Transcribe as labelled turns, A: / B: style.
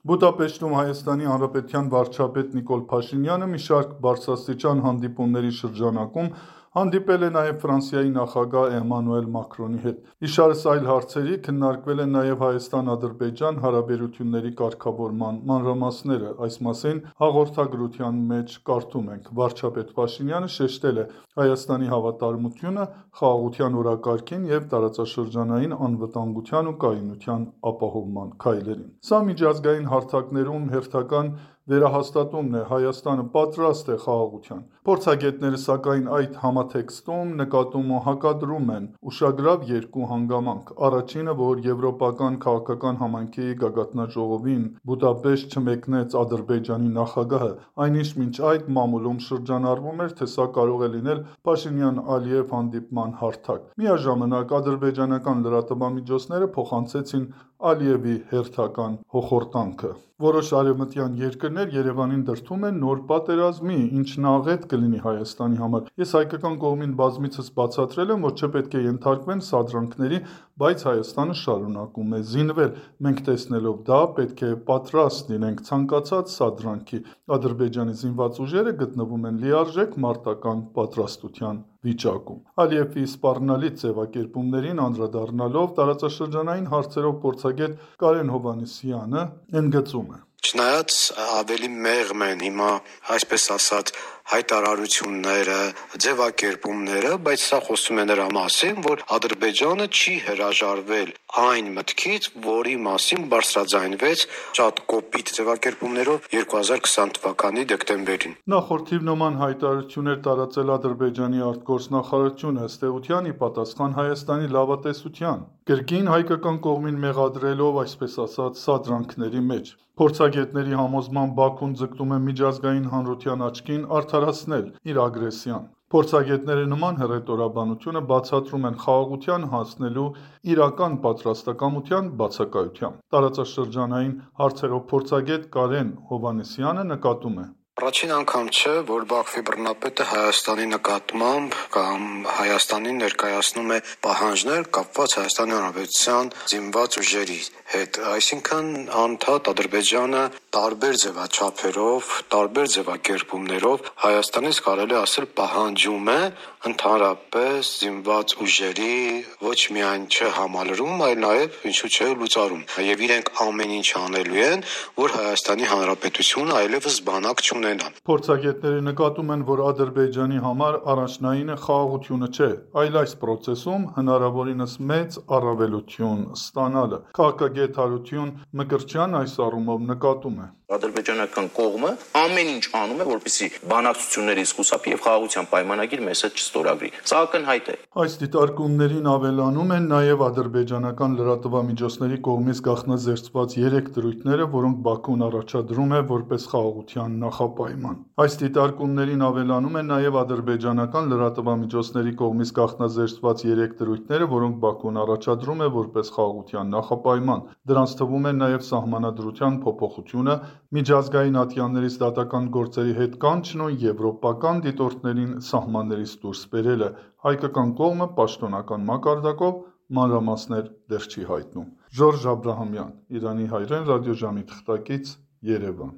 A: Բուդապեշտում Հայաստանի Հանրապետության վարչապետ Նիկոլ Փաշինյանը մի շարք բարձրաստիճան հանդիպումների շրջանակում հանդիպել է նաև Ֆրանսիայի նախագահ Էմանուել Մակրոնի հետ։ Իշարս այլ հարցերի քննարկվել են նաև Հայաստան-Ադրբեջան հարաբերությունների կարգավորման մանրամասները։ Այս մասին հաղորդագրության մեջ կարդում ենք. վարչապետ Փաշինյանը շեշտել է Հայաստանի հավատարմությունը խաղաղության օրակարգին և տարածաշրջանային անվտանգության ու կայունության ապահովման քայլերին։ Սա միջազգային հարթակներում հերթական վերահաստատումն է. Հայաստանը պատրաստ է խաղաղության։ Փորձագետները, սակայն, այդ համատեքստում նկատում ու հակադրում են ուշագրավ երկու հանգամանք. Առաջինը, որ Եվրոպական քաղաքական համայնքի գագաթնաժողովին Բուդապեշտ չմեկնեց Ադրբեջանի նախագահը, այնինչ մինչ այդ մամուլում շրջանառվում էր, թե սա կարող է լինել Փաշինյան-Ալիև հանդիպման հարթակ։ Միաժամանակ ադրբեջանական լրատվամիջոցները փոխանցեցին Ալիևի հերթական հոխորտանքը։ Որոշ արևմտյան երկրներ Երևանին դրդում են նոր պատերազմի, ինչն աղետ կլինի Հայաստանի համար։ Ես հայկական կողմին բազմիցս բացատրել եմ, որ չպետք է ենթարկվեն սադրանքների, բայց Հայաստանը շարունակում է զինվել։ Մենք տեսնելով դա, պետք է պատրաստ լինենք ցանկացած սադրանքի։ Ադրբեջանի զինված ուժերը գտնվում են լիարժեք մարտական պատրաստության վիճակում։ Ալիևի սպառնալից ձևակերպումներին անդրադառնալով տարածաշրջանային հարցերով փորձագետ Կարեն Հովհաննիսյանը ընդգծում է.
B: Չնայած ավելի մեղմ են հիմա, այսպես ասած, հայտարարությունները, ձևակերպումները, բայց սա խոսում է նրա մասին, որ Ադրբեջանը չի հրաժարվել այն մտքից, որի մասին բարձրաձայնվեց շատ կոպիտ ձևակերպումներով 2020 թվականի դեկտեմբերին։
A: Նախորդ թիվ նման հայտարարություններ տարածել Ադրբեջանի արտգործնախարարությունը, ըստ էության, ի պատասխան Հայաստանի լավատեսության, կրկին հայկական կողմին մեղադրելով, այսպես ասած, սադրանքների մեջ։ Փորձագետների համոզմամբ Բաքուն ձգտում է միջազգային հանրության աչքին արդարացնել իր ագրեսիան։ Փորձագետները նման հռետորաբանությունը բացատրում են խաղաղության հասնելու իրական պատրաստակամության բացակայությամբ։ Տարածաշրջանային հարցերով փորձագետ Կարեն Հովհաննիսյանը նկատում է.
B: Առաջին անգամ չէ, որ Բաքվի բռնապետը Հայաստանի նկատմամբ կամ Հայաստանին ներկայացնում է պահանջներ կապված Հայաստանի Հանրապետության զինված ուժերի հետ։ Այսինքն անդադ Ադրբեջանը տարբեր ձևաչափերով, տարբեր ձևակերպումներով Հայաստանից կարելի ասել պահանջում է ընդհանրապես զինված ուժերի ոչ միայն չհամալրում, այլ նաև ինչու՞ չէ լուծարում։ Եվ իրենք ամեն ինչ անելու են, որ Հայաստանի Հանրապետությունը այլևս բանակ չունենա։
A: Փորձագետները նկատում են, որ Ադրբեջանի համար առաջնայինը խաղաղությունը չէ, այլ այս պրոցեսում հնարավորինս մեծ առավելություն ստանալը։ Քաղաքագետ Հարություն Մկրտչյանն այս առումով նկատում է.
C: Ադրբեջանական կողմը ամեն ինչ անում է, որպեսզի բանակցություններից խուսափի եւ խաղաղության պայմանագիր մեզ հետ չստորագրի։ Սա ակնհայտ է։
A: Այս դիտարկումներին ավելանում են նաև ադրբեջանական լրատվամիջոցների կողմից գաղտնազերծված 3 դրույթները, որոնք Բաքուն առաջադրում է որպես խաղաղության նախապայման։ Այս դիտարկումներին ավելանում են նաև ադրբեջանական լրատվամիջոցների կողմից գաղտնազերծված 3 դրույթները, որոնք Բաքուն առաջադրում է որպես խաղաղության նախապայման։ Դրանց թվում են նաև սահմանադրության փոփոխությունը, միջազգային ատյաններից դատական գործերի հետ կանչն ու եվրոպական դիտորդներին սահմաններից դուրս բերելը։ Հայկական կողմը պաշտոնական մակարդակով մանրամասներ դեռ չի հայտնում։ Ժորժ Աբրահամյան, Իրանի հայրեն, ռադիոժամի թղթակից, Երևան։